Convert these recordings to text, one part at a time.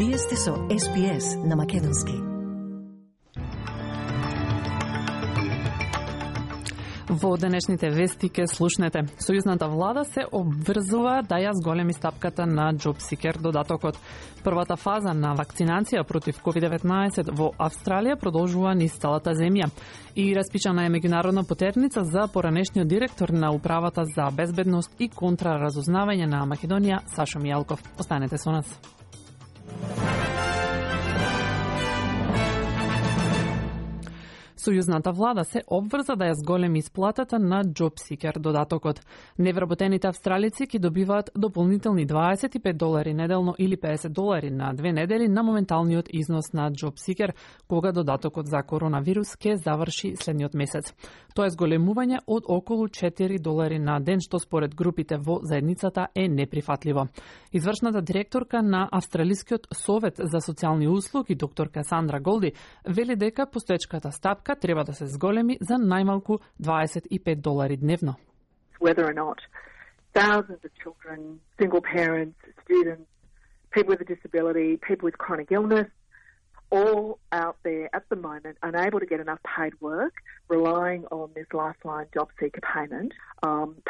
Вие сте со SPS на Македонски. Во денешните вести ке слушнете. Сојузната влада се обврзува да ја зголеми стапката на JobSeeker додатокот. Првата фаза на вакцинација против COVID-19 во Австралија продолжува низ целата земја. И распичана е меѓународна потерница за поранешниот директор на Управата за безбедност и контраразузнавање на Македонија, Сашо Мијалков. Останете со нас. Сојузната влада се обврза да ја зголеми исплатата на JobSeeker додатокот. Невработените австралици ќе добиваат дополнителни $25 неделно или $50 на 2 недели на моменталниот износ на JobSeeker, кога додатокот за коронавирус ќе заврши следниот месец. Тоа е зголемување од околу $4 на ден, што според групите во заедницата е неприфатливо. Извршната директорка на Австралискиот совет за социјални услуги, докторка Сандра Голди, вели дека постоечката стапка треба да се зголеми за најмалку $25 дневно. Whether or not thousands of children, single parents, students, people with a disability, people with chronic illness, all out there at the moment unable to get enough paid work, relying on this lifeline job seeker payment,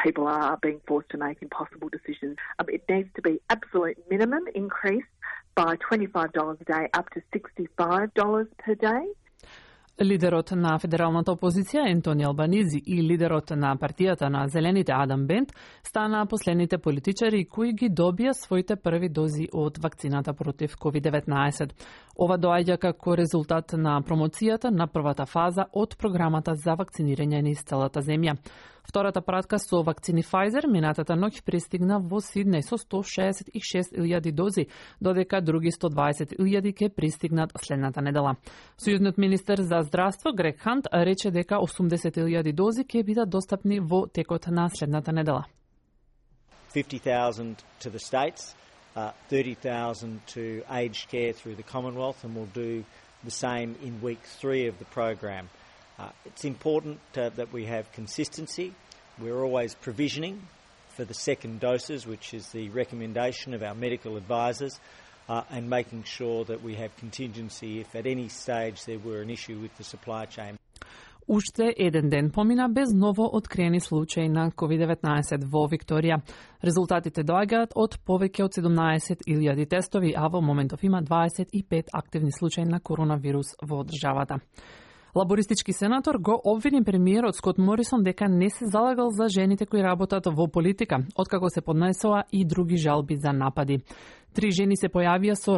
people are being forced to make impossible decisions. It needs to be absolute minimum increased by $25 a day up to $65 per day. Лидерот на федералната опозиција Ентони Албанизи и лидерот на партијата на Зелените Адам Бент стана последните политичари кои ги добија своите први дози од вакцината против COVID-19. Ова доаѓа како резултат на промоцијата на првата фаза од програмата за вакцинирање низ целата земја. Втората пратка со вакцини Pfizer минатата ноќ пристигна во Сиднеј со 166.000 дози, додека други 120.000 ќе пристигнат следната недела. Сојузниот министер за здравство Грег Хант рече дека 80.000 дози ќе бидат достапни во текот на следната недела. 50,000 to the states, 30,000 to aged care through the Commonwealth, and we'll do the same in week 3 of the program. It's important that we have consistency. We're always provisioning for the second doses, which is the recommendation of our medical advisors, and making sure that we have contingency if at any stage there were an issue with the supply chain. Уште еден ден помина без ново откриени случаи на COVID-19 во Викторија. Резултатите доаѓаат од повеќе од 17.000 тестови, а во моментов има 25 активни случаи на коронавирус во државата. Лабористички сенатор го обвини премиерот Скот Морисон дека не се залагал за жените кои работат во политика, откако се поднесоа и други жалби за напади. 3 жени се појавија со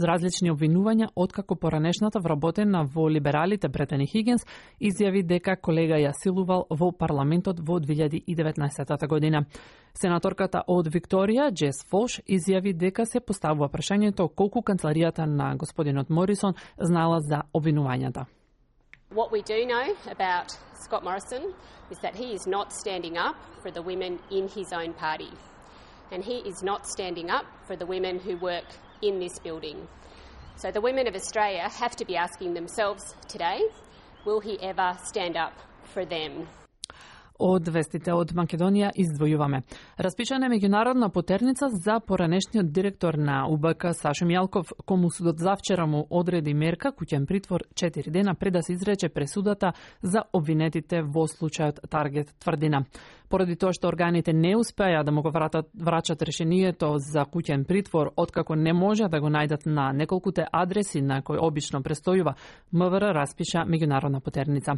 различни обвинувања, откако поранешната вработена во либералите Бретани Хигинс изјави дека колега ја силувал во парламентот во 2019 година. Сенаторката од Викторија, Джес Фолш, изјави дека се поставува прашањето колку канцеларијата на господинот Морисон знала за обвинувањата. What we do know about Scott Morrison is that he is not standing up for the women in his own party. And he is not standing up for the women who work in this building. So the women of Australia have to be asking themselves today, will he ever stand up for them? Од вестите од Македонија издвојуваме. Распичана е меѓународна потерница за поранешниот директор на УБК Сашо Мијалков, кому судот завчера му одреди мерка куќен притвор 4 дена пред да се изрече пресудата за обвинетите во случајот Таргет тврдина. Поради тоа што органите не успеа да му го врачат решението за куќен притвор, откако не може да го најдат на неколкуте адреси на кои обично престојува, МВР распиша меѓународна потерница.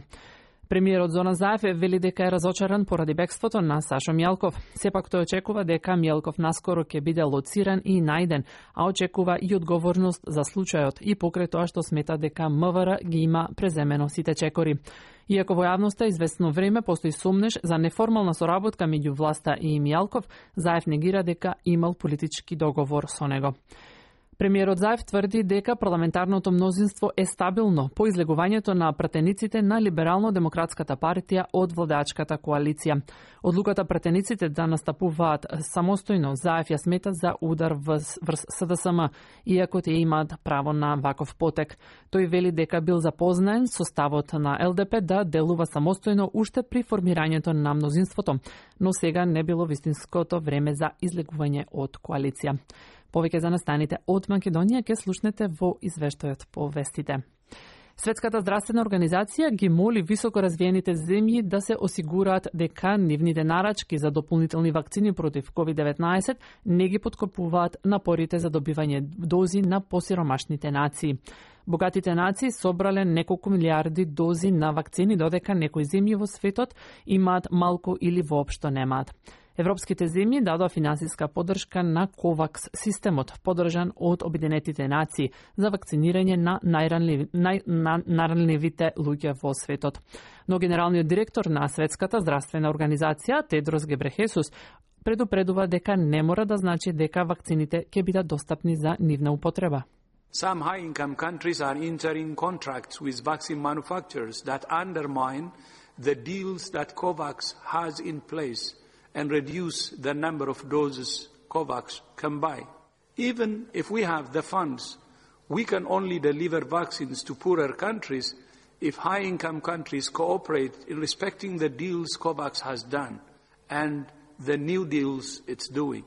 Премиерот Зоран Заев вели дека е разочаран поради бегството на Сашо Мијалков. Сепак тој очекува дека Мијалков наскоро ќе биде лоциран и најден, а очекува и одговорност за случајот и покрај тоа што смета дека МВР ги има преземено сите чекори. Иако во јавноста известно време постои сомнеш за неформална соработка меѓу власта и Мијалков, Заев негира дека имал политички договор со него. Премиерот Заев тврди дека парламентарното мнозинство е стабилно по излегувањето на пратениците на Либерално-демократската партија од владеачката коалиција. Одлуката пратениците да настапуваат самостојно Заев ја смета за удар врз СДСМ, иако тие имаат право на ваков потек. Тој вели дека бил запознаен со ставот на ЛДП да делува самостојно уште при формирањето на мнозинството, но сега не било вистинското време за излегување од коалиција. Повеќе за настаните од Македонија ќе слушнете во извештајот по вестите. Светската здравствена организација ги моли високо развиените земји да се осигураат дека нивните нарачки за дополнителни вакцини против COVID-19 не ги подкопуваат напорите за добивање дози на посиромашните нации. Богатите нации собрале неколку милиарди дози на вакцини, додека некои земји во светот имаат малку или воопшто немаат. Европските земји дадоа финансиска поддршка на КОВАКС системот, поддржан од Обединетите нации за вакцинирање на најранливите луѓе во светот. Но генералниот директор на Светската здравствена организација, Тедрос Гебрехесус, предупредува дека не мора да значи дека вакцините ќе бидат достапни за нивна употреба. Some high-income countries are entering contracts with vaccine manufacturers that undermine the deals that COVAX has in place and reduce the number of doses COVAX can buy. Even if we have the funds, we can only deliver vaccines to poorer countries if high-income countries cooperate in respecting the deals COVAX has done and the new deals it's doing.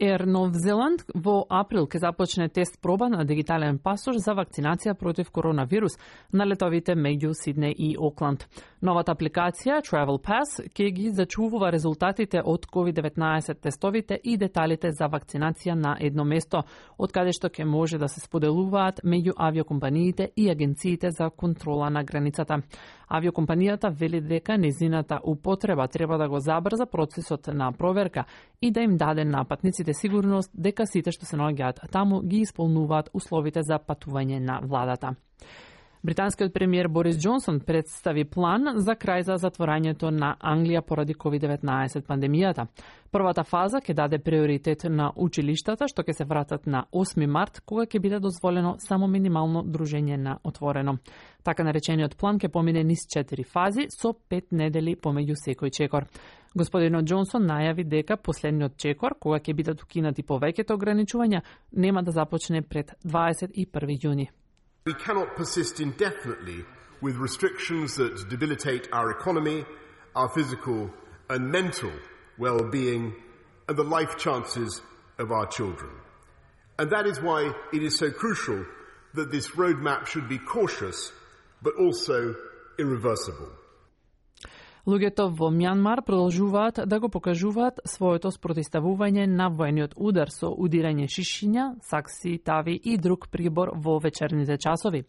Air Нов Зеланд во април ќе започне тест проба на дигитален пасош за вакцинација против коронавирус на летовите меѓу Сиднеј и Окланд. Новата апликација Travel Pass ќе ги зачувува резултатите од COVID-19 тестовите и деталите за вакцинација на едно место, од каде што ќе може да се споделуваат меѓу авиокомпаниите и агенциите за контрола на границата. Авиокомпанијата вели дека незината употреба треба да го забрза процесот на проверка и да им даде на патниците сигурност дека сите што се наоѓаат таму ги исполнуваат условите за патување на владата. Британскиот премиер Борис Џонсон представи план за крај за затворањето на Англија поради COVID-19 пандемијата. Првата фаза ќе даде приоритет на училиштата што ќе се вратат на 8 март, кога ќе биде дозволено само минимално дружење на отворено. Така наречениот план ќе помине низ 4 фази со 5 недели помеѓу секој чекор. Господинот Џонсон најави дека последниот чекор, кога ќе бидат укинати повеќето ограничувања, нема да започне пред 21 јуни. We cannot persist indefinitely with restrictions that debilitate our economy, our physical and mental well-being, and the life chances of our children. And that is why it is so crucial that this roadmap should be cautious, but also irreversible. Луѓето во Мјанмар продолжуваат да го покажуваат своето спротивставување на воениот удар со удирање шишиња, сакси, тави и друг прибор во вечерните часови.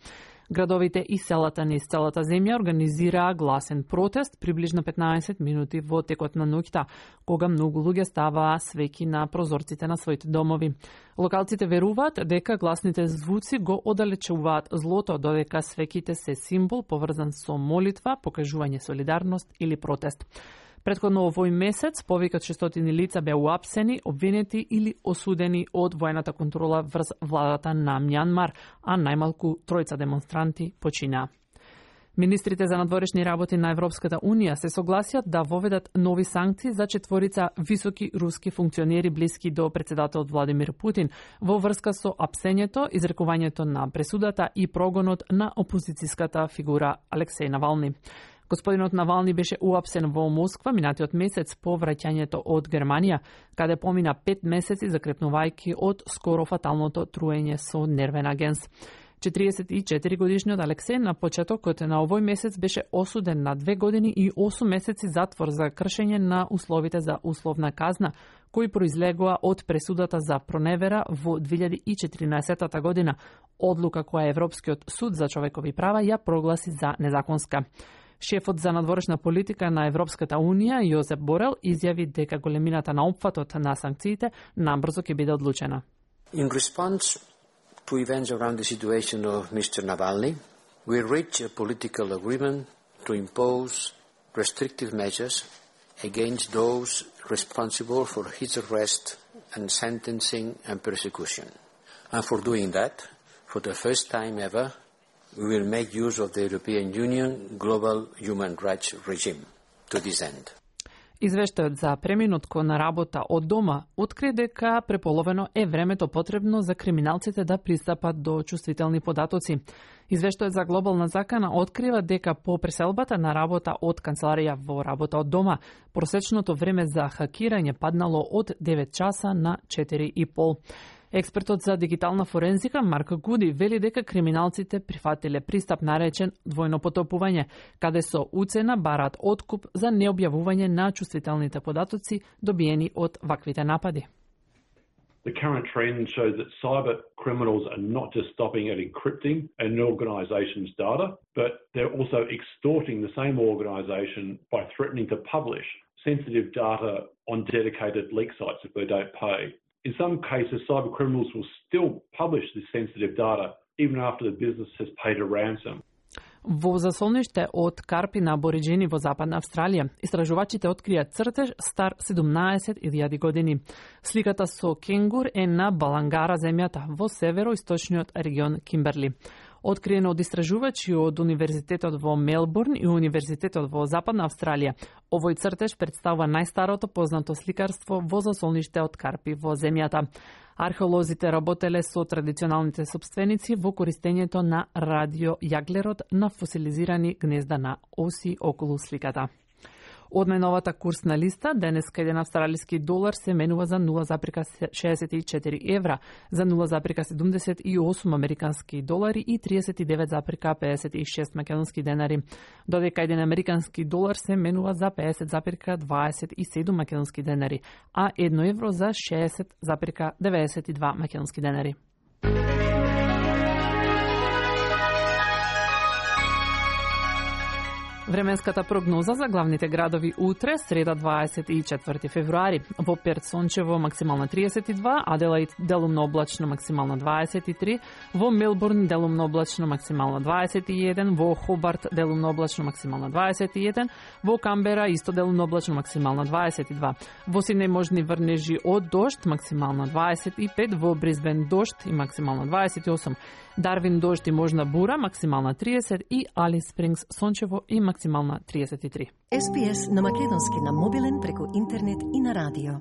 Градовите и селата низ целата земја организираа гласен протест приближно 15 минути во текот на ноќта, кога многу луѓе ставаа свеќи на прозорците на своите домови. Локалците веруваат дека гласните звуци го оддалечуваат злото, додека свеќите се символ поврзан со молитва, покажување солидарност или протест. Претходно овој месец, повеќе од 600 лица беа уапсени, обвинети или осудени од воената контрола врз владата на Мјанмар, а најмалку 3 демонстранти починаа. Министрите за надворешни работи на Европската Унија се согласиат да воведат нови санкции за 4 високи руски функционери блиски до председателот Владимир Путин во врска со апсењето, изрекувањето на пресудата и прогонот на опозицијската фигура Алексеј Навални. Господинот Навални беше уапсен во Москва минатиот месец по враќањето од Германија, каде помина 5 месеци закрепнувајќи од скоро фаталното труење со нервен агенс. 44 годишниот Алексеј на почетокот на овој месец беше осуден на 2 години и 8 месеци затвор за кршење на условите за условна казна, кои произлегоа од пресудата за проневера во 2014 година, одлука која Европскиот суд за човекови права ја прогласи за незаконска. Шефот за надворешна политика на Европската Унија, Јозеп Борел, изјави дека големината на опфатот на санкциите набрзо ќе биде одлучена. In response to events around the situation of Mr. Navalny, we reached a political agreement to impose restrictive measures against those responsible for his arrest and sentencing and persecution. And for doing that, for the first time ever, we will make use of the European Union Global Human Rights Regime to this end. Извештајот за преминот кон работа од дома откри дека преполовено е времето потребно за криминалците да пристапат до чувствителни податоци. Извештајот за глобална закана открива дека по преселбата на работа од канцеларија во работа од дома, просечното време за хакирање паднало од 9 часа на 4,5. Експертот за дигитална форензика Марк Гуди вели дека криминалците прифатиле пристап наречен двојно потопување, каде со уцена бараат откуп за необјавување на чувствителните податоци добиени од ваквите напади. The current trend shows that cyber criminals are not just stopping at encrypting an organisation's data, but they're also extorting the same organisation by threatening to publish sensitive data on dedicated leak sites if they don't pay. In some cases, cyber criminals will still publish this sensitive data even after the business has paid a ransom. Во засолниште од карпи на абориџени во Западна Австралија, истражувачите открија цртеж стар 17.000 години. Сликата со кенгур е на Балангара земјата во североисточниот регион Кимберли. Откриено од истражувачи од Универзитетот во Мелбурн и Универзитетот во Западна Австралија. Овој цртеж представува најстарото познато сликарство во засолниште од карпи во земјата. Археолозите работеле со традиционалните сопственици во користењето на радиојаглерод на фосилизирани гнезда на оси околу сликата. Од најновата курсна листа, денеска еден австралиски долар се менува за 0,64 евра, за 0,78 американски долари и 39,56 македонски денари, додека еден американски долар се менува за 50,27 македонски денари, а 1 евро за 60,92 македонски денари. Временската прогноза за главните градови утре, среда 24 февруари. Во Перт сончево максимална 32, Аделаид делумно облачно максимална 23, во Мелбурн делумно облачно максимална 21, во Хобарт делумно облачно максимална 21, во Камбера исто делумно облачно максимална 22, во Сиднеј можни врнежи од дожд максимална 25, во Брисбен дожд и максимална 28, Дарвин дожд и можна бура максимална 30 и Алис Спрингс сончево и максимална 33. SPS на македонски на мобилен преку интернет и на радио.